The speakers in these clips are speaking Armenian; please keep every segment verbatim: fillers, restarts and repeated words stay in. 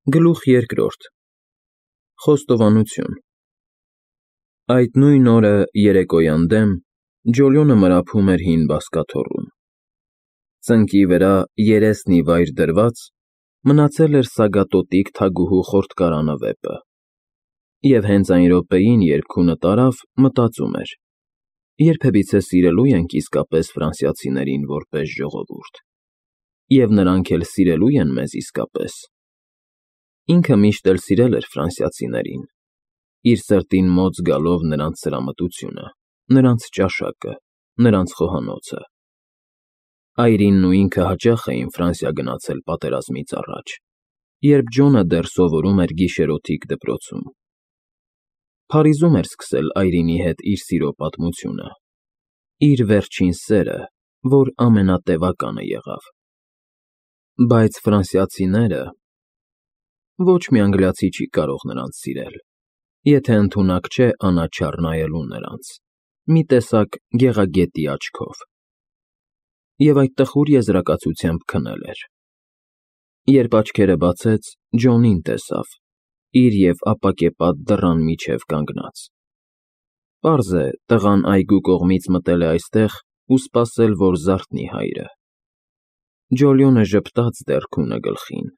Գլուխ երկրորդ Խոստովանություն Այդ նույն օրը երեկոյան դեմ Ջոլիոնը մրափում էր հին բազկաթոռում. ծնկի վրա երեսն ի վայր դրված մնացել էր սագատոտիկ թագուհու խորտկարանը վեպը, և հենց այն րոպեին, երբ քունը տարավ, մտածում էր. երբևիցե սիրելու ենք իսկապես ֆրանսիացիներին որպես ժողովուրդ, և նրանք էլ սիրելու են մեզ իսկապես։ Ինքը միշտ էլ սիրել էր ֆրանսիացիներին, իր սրտին մոտ զգալով նրանց սրամտությունը, նրանց ճաշակը, նրանց խոհանոցը։ Այրինն ու ինքը հաճախ էին Ֆրանսիա գնացել պատերազմից առաջ, երբ Ջոնը դեռ սովորում էր գիշերօթիկ դպրոցում։ Փարիզում էր սկսել այրինի հետ իր սիրո պատմությունը, իր վերջին սերը, որ ամենատևականը եղավ։ Բայց ֆրանսիացիները… Ոչ մի անգլիացի չի կարող նրանց սիրել, եթե ընդունակ չէ անաչառ նայելու նրանց, մի տեսակ գեղագետի աչքով։ Եվ այդ տխուր եզրակացությամբ քնել էր։ Երբ աչքերը բացեց, Ջոնին տեսավ, իր և ապակեպատ դռան միջև կանգնած։ Պարզ է, տղան այգու կողմից մտել է այստեղ ու սպասել, որ զարթնի հայրը։ Ջոլիոնը ժպտաց դեռ քունը գլխին.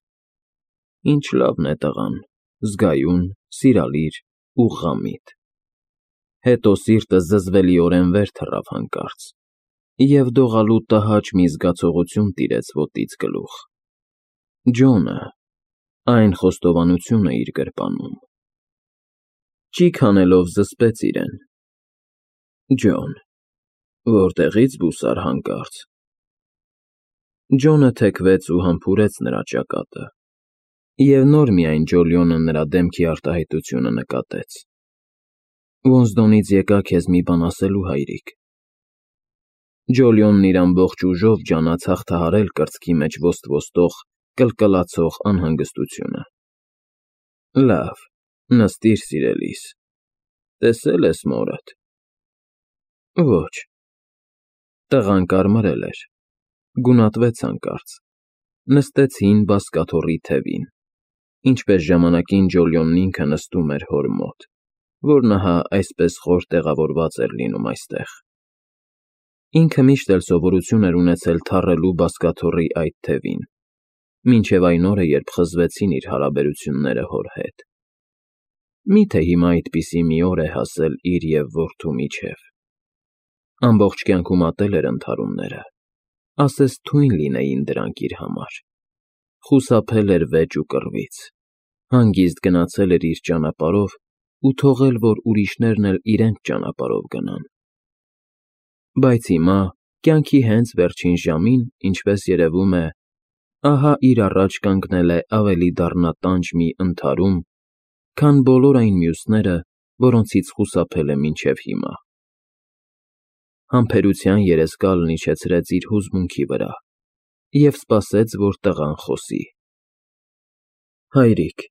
Ինչ լավն է տղան, զգայուն, սիրալիր ու ღամիտ։ Հետո սիրտը զզվելիորեն վեր թռավ հանկարծ, և դողալու տհաճ մի զգացողություն տիրեց ոտից գլուխ։ Ջոնը… այն խոստովանությունը իր գրպանում… Ճիգ հանելով զսպեց իրեն. Ջոն… Որտեղի՞ց բուսար հանկարծ… Ջոնը թեքվեց ու համբուրեց նրա ճակատը, և նոր միայն Ջոլիոնը նրա դեմքի արտահայտությունը նկատեց. Ոզդոնից եկա քեզ մի բան ասելու, հայրիկ։ Ջոլիոնն իր ամբողջ ուժով ջանաց հաղթահարել կրծքի մեջ ոստ֊ոստող, կլկլացող անհանգստությունը։ Լավ, նստիր, սիրելիս, տեսե՞լ ես մորդ։ Ոչ… Տղան կարմրել էր, գունատվեց հանկարծ, նստեց հին բազկաթոռի թևին, ինչպես ժամանակին Ջոլիոնն ինքը նստում էր հոր մոտ, որն ահա այսպես խոր տեղավորված էր լինում այստեղ։ Ինքը միշտ էլ սովորություն էր ունեցել թառելու բազկաթոռի այդ թևին, մինչև այն օրը, երբ խզվեցին իր հարաբերությունները հոր հետ։ Մի՞թե հիմա այդպիսի մի օր է հասել իր և որդու միջև։ Ամբողջ կյանքում ատել էր ընդհարումները, ասես թույն լինեին դրանք իր համար, խուսափել էր վեճ ու կռվից, հանգիստ գնացել էր իր ճանապարհով ու թողել, որ ուրիշներն էլ իրենց ճանապարհով գնան։ Բայց հիմա, կյանքի հենց վերջին ժամին, ինչպես երևում է, ահա իր առաջ կանգնել է ավելի դառնատանջ մի ընդհարում, քան բոլոր այն մյուսները, որոնցից խուսափել է մինչև հիմա։ Համբերության երեսկալն իջեցրեց իր հուզմունքի վրա և սպասեց, որ տղան խոսի։ Հայրիկ,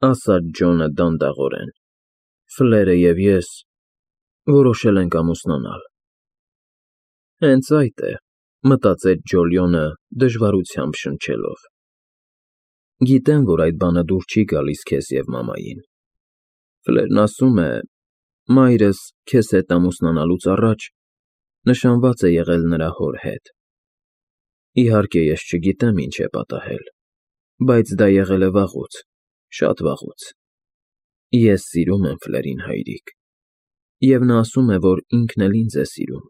ասաց Ջոնը դանդաղորեն, Ֆլերը և ես որոշել ենք ամուսնանալ։ Հենց այդ է, մտածեց Ջոլիոնը դժվարությամբ շնչելով։ Գիտեմ, որ այդ բանը դուր չի գալիս քեզ և մամային։ Ֆլերն ասում է, մայրս քեզ հետ ամուսնանալուց առաջ նշանված է եղել նրա հոր հետ։ Իհարկե, ես չգիտեմ ինչ է պատահել, բայց դա եղել է վաղուց, շատ վաղուց։ Ես սիրում եմ Ֆլերին, հայրիկ, և նա ասում է, որ ինքն էլ ինձ է սիրում։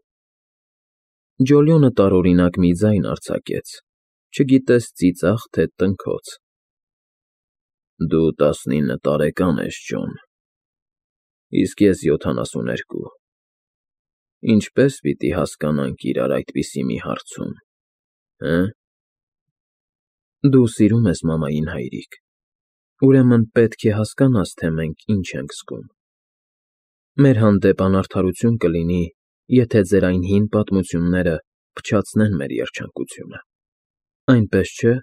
Ջոլիոնը տարօրինակ մի ձայն արձակեց, չգիտես ծիծաղ, թե տնքոց։ Դու տասնինը տարեկան ես, Ջոն, իսկ ես յոթանասուներկու, ինչպե՞ս պիտի հասկանանք իրար այդպիսի մի հարցում, հը՞։ Դու սիրում ես մամային, հայրիկ, ուրեմն պետք է հասկանաս, թե մենք ինչ ենք զգում։ Մեր հանդեպ անարդարություն կլինի, եթե ձեր այն հին պատմությունները փչացնեն մեր երջանկությունը, այնպես չէ՞։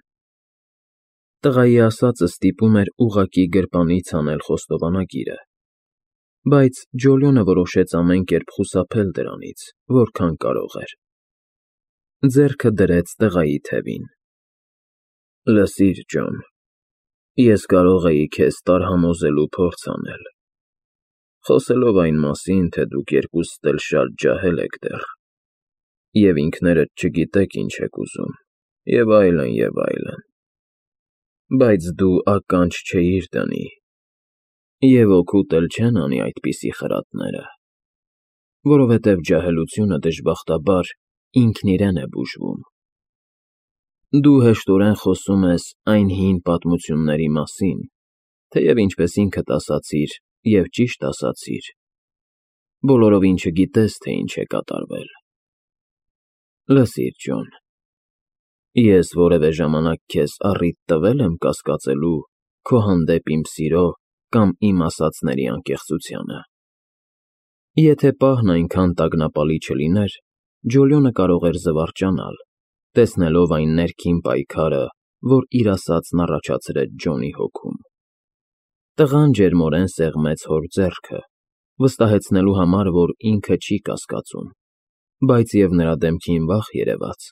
Տղայի ասածը ստիպում էր ուղղակի գրպանից հանել խոստովանագիրը, բայց Ջոլիոնը որոշեց ամեն կերպ խուսափել դրանից, որքան կարող էր։ Ձեռքը դրեց տղայի թևին։ Լսիր, Ջոն, Ես կարող էի քեզ տարհամոզելու փորձ անել, խոսելով այն մասին, թե դուք երկուսդ էլ շատ ջահել եք դեռ, և ինքներդ չգիտեք ինչ եք ուզում, և այլն, և այլն, բայց դու ականջ չէիր դնի, և օգուտ էլ չեն անի այդպիսի խրատները, որովհետև ջահելությունը դժբախտաբար ինքն իրեն է բուժվում։ Դու հեշտորեն խոսում ես այն հին պատմությունների մասին, թեև ինչպես ինքդ ասացիր և ճիշտ ասացիր, բոլորովին չգիտես, թե ինչ է կատարվել։ Լսիր, Ջոն, ես որևէ ժամանակ քեզ առիթ տվե՞լ եմ կասկածելու քո հանդեպ իմ սիրո կամ իմ ասածների անկեղծությանը։ Եթե պահն այնքան տագնապալի չլիներ, Ջոլիոնը կարող էր զվարճանալ, տեսնելով այն ներքին պայքարը, որ իր ասածն առաջացրեց Ջոնի հոգում։ Տղան ջերմորեն սեղմեց հոր ձեռքը, վստահեցնելու համար, որ ինքը չի կասկածում, բայց և նրա դեմքին վախ երևաց,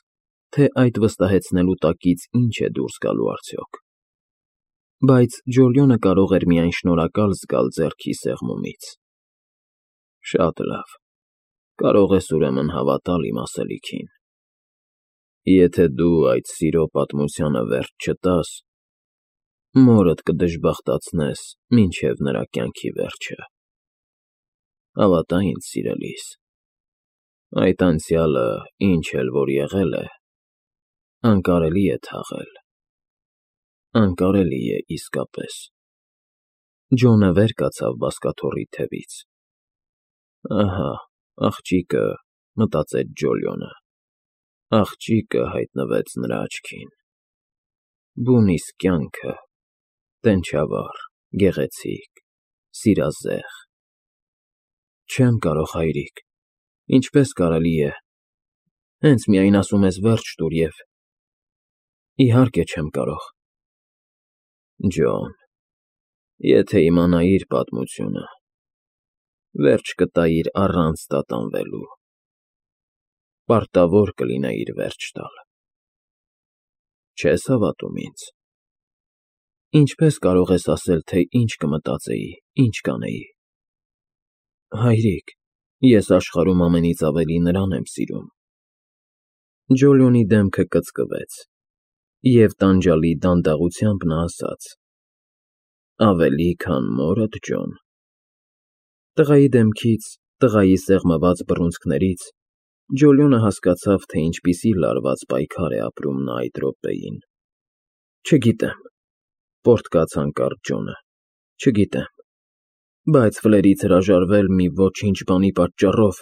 թե այդ վստահեցնելու տակից ինչ է դուրս գալու արդյոք։ Բայց Ջոլիոնը կարող էր միայն շնորհակալ զգալ ձեռքի սեղմումից։ Շատ լավ, կարող ես ուրեմն հավատալ իմ ասելիքին։ Եթե դու այդ սիրո պատմությանը վերջ չտաս, մորդ կդժբախտացնես մինչև նրա կյանքի վերջը։ Հավատա ինձ, սիրելիս, այդ անցյալը, ինչ էլ որ եղել է, անկարելի է թաղել, անկարելի է իսկապես։ Ջոնը վեր կացավ բազկաթոռի թևից։ Ահա, աղջիկը, մտածեց Ջոլիոնը, աղջիկը հայտնվեց նրա աչքին։ Բուն իսկ կյանքը, տենչավառ, գեղեցիկ, սիրազեղ։ Չեմ կարող, հայրիկ, ինչպես կարելի է, հենց միայն ասում ես վերջ տուր և… Իհարկե չեմ կարող։ Ջոն, եթե իմանայիր պատմությունը, վերջ կտայիր առանց տատանվելու, պարտավոր կլինեիր վերջ տալ։ Չես հավատում ինձ։ Ինչպես կարող ես ասել, թե ինչ կմտածեի, ինչ կանեի։ Հայրիկ, ես աշխարհում ամենից ավելի նրան եմ սիրում։ Ջոլիոնի դեմքը կծկվեց, և տանջալի դանդաղությամբ նա ասաց. Ավելի, քան մորդ, Ջոն։ Տղայի դեմքից, տղայի սեղմված բռունցքներից Ջոլիոնը հասկացավ, թե ինչպիսի լարված պայքար է ապրում նա այդ րոպեին։ Չգիտեմ, պոռթկաց հանկարծ Ջոնը, չգիտեմ, բայց Ֆլերից հրաժարվել մի ոչինչ բանի պատճառով,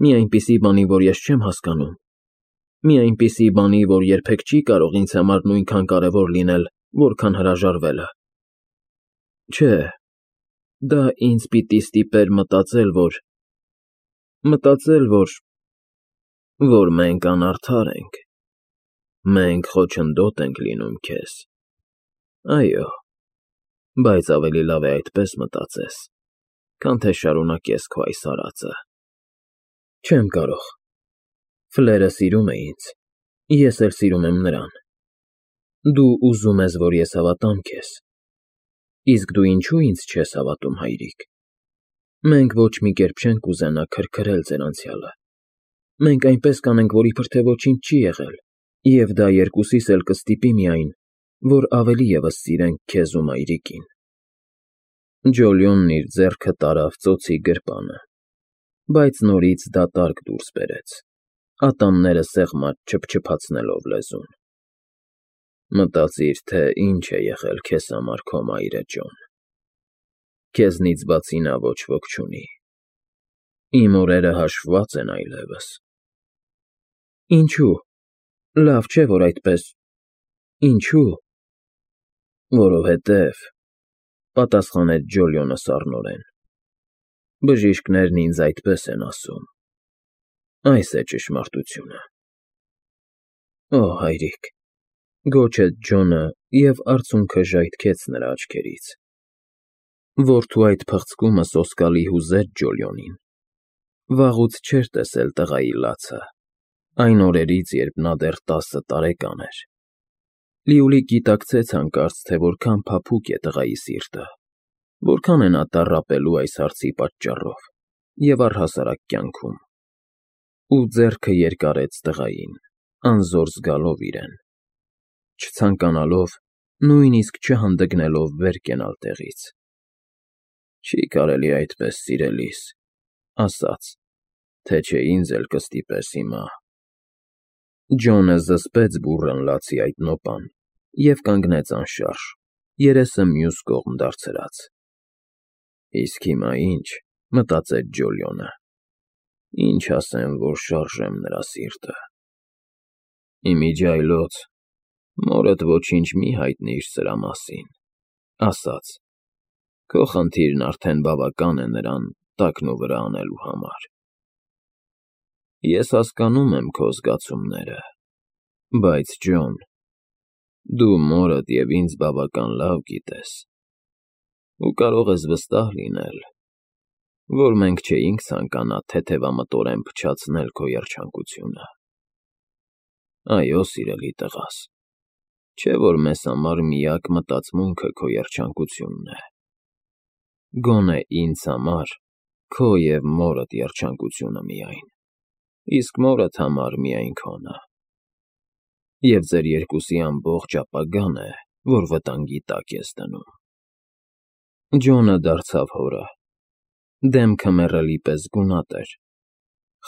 մի այնպիսի բանի, որ ես չեմ հասկանում, մի այնպիսի բանի, որ երբեք չի կարող ինձ համար նույնքան կարևոր լինել, որքան հրաժարվելը… Չէ, դա ինձ պիտի ստիպեր մտածել, որ… մտածել, որ… որ մենք անարդար ենք, մենք խոչընդոտ ենք լինում քեզ, այո, բայց ավելի լավ է այդպես մտածես, քան թե շարունակես քո այս արածը։ Չեմ կարող… Ֆլերը սիրում է ինձ, ես էլ սիրում եմ նրան։ Դու ուզում ես, որ ես հավատամ քեզ, իսկ դու ինչո՞ւ ինձ չես հավատում, հայրիկ։ Մենք ոչ մի կերպ չենք ուզենա քրքրել ձեր անցյալը, մենք այնպես կանենք, որ իբր թե ոչինչ չի եղել, և դա երկուսիս էլ կստիպի միայն, որ ավելի ևս սիրենք քեզ ու մայրիկին։ Ջոլիոնն իր ձեռքը տարավ ծոցի գրպանը, բայց նորից դատարկ դուրս բերեց, ատամները սեղմած չփչփացնելով լեզուն։ Մտածիր, թե ինչ է եղել քեզ համար քո մայրը, Ջոն։ Քեզնից բացի նա ոչ ոք չունի։ Իմ օրերը հաշվված են այլևս։ Ինչո՞ւ, լավ չէ, որ այդպես… Ինչո՞ւ… Որովհետև, պատասխանեց Ջոլիոնը սառնորեն, բժիշկներն ինձ այդպես են ասում, այս է ճշմարտությունը։ Օ, հայրիկ, գոչեց Ջոնը և արցունքը ժայթքեց նրա աչքերից։ Որդու այդ փղցկումը սոսկալի հուզեց Ջոլիոնին։ Վաղուց չէր տեսել տղայի լացը, այն օրերից, երբ նա դեռ տասը տարեկան էր։ Լիուլիկ գիտակցեց հանկարծ, թե որքան փափուկ է տղայի սիրտը, որքան է նա տառապելու այս հարցի պատճառով և առհասարակ կյանքում, ու ձեռքը երկարեց տղային, անզոր զգալով իրեն, չցանկանալով, նույնիսկ չհանդգնելով վեր կենալ տեղից։ «Չի կարելի այդպես, սիրելիս, ասաց, թե չէ ինձ էլ կստիպես հիմա»։ Ջոնը զսպեց բուռն լացի այդ նոպան և կանգնեց անշարժ, երեսը մյուս կողմ դարձրած։ «Իսկ հիմա ի՞նչ», մտածեց Ջոլիոնը, «ինչ ասեմ, որ շարժեմ նրա սիրտը»։ «Ի միջի այլոց մորդ ոչինչ մի հայտնիր սրա մասին», ասաց, «քո խնդիրն արդեն բավական է նրան տակնուվրա անելու համար»։ «Ես հասկանում եմ քո զգացումները, բայց, Ջոն, դու մորդ և ինձ բավական լավ գիտես ու կարող ես վստահ լինել, որ մենք չէինք ցանկանա թեթևամտորեն փչացնել քո երջանկությունը։ Այո, սիրելի տղաս, չէ՞ որ մեզ համար միակ մտածմունքը քո երջանկությունն է։ Գոնե ինձ համար քո և մորդ երջանկությունը միայն, իսկ մորդ համար միայն քոնը։ Եվ ձեր երկուսի ամբողջ ապագան է, որ վտանգի տակ ես դնում»։ Ջոնը դարձավ հորը։ Դեմքը մեռելի պես գունատ էր,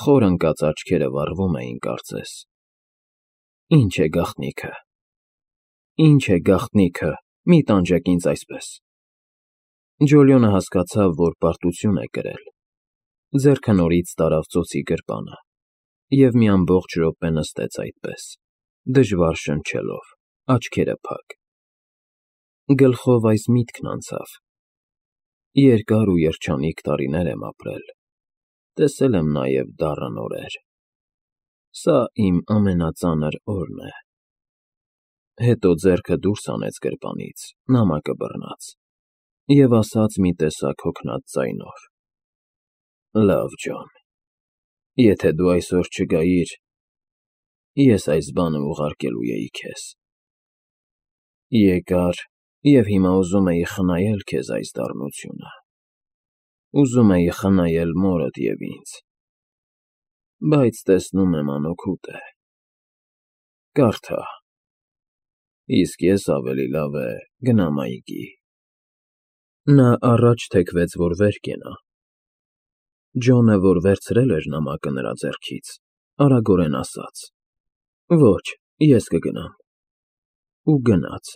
խոր ընկած աչքերը վառվում էին կարծես։ «Ի՞նչ է գաղտնիքը, ի՞նչ է գաղտնիքը, մի տանջեք ինձ այսպես»։ Ջոլիոնը հասկացավ, որ պարտություն է կրել, ձեռքը նորից տարավ ծոցի գրպանը և մի ամբողջ րոպե նստեց այդպես, դժվար շնչելով, աչքերը փակ։ Գլխով այս միտքն անցավ. երկար ու երջանիկ տարիներ եմ ապրել, տեսել եմ նաև դառն օրեր, սա իմ ամենածանր օրն է։ Հետո ձեռքը դուրս հանեց գրպանից, նամակը բռնած, և ասաց մի տեսակ հոգնած ձայնով. «Լավ, Ջոն, եթե դու այսօր չգայիր, ես այս բանը ուղարկելու էի քեզ։ Եկար և հիմա ուզում էի խնայել քեզ այս դառնությունը, ուզում էի խնայել մորդ և ինձ, բայց տեսնում եմ անօգուտ է։ Կարդա, իսկ ես ավելի լավ է գնամ այգի»։ Նա առաջ թեքվեց, որ վեր կենա։ Ջոնը, որ վերցրել էր նամակը նրա ձեռքից, արագորեն ասաց. «Ոչ, ես կգնամ»։ Ու գնաց։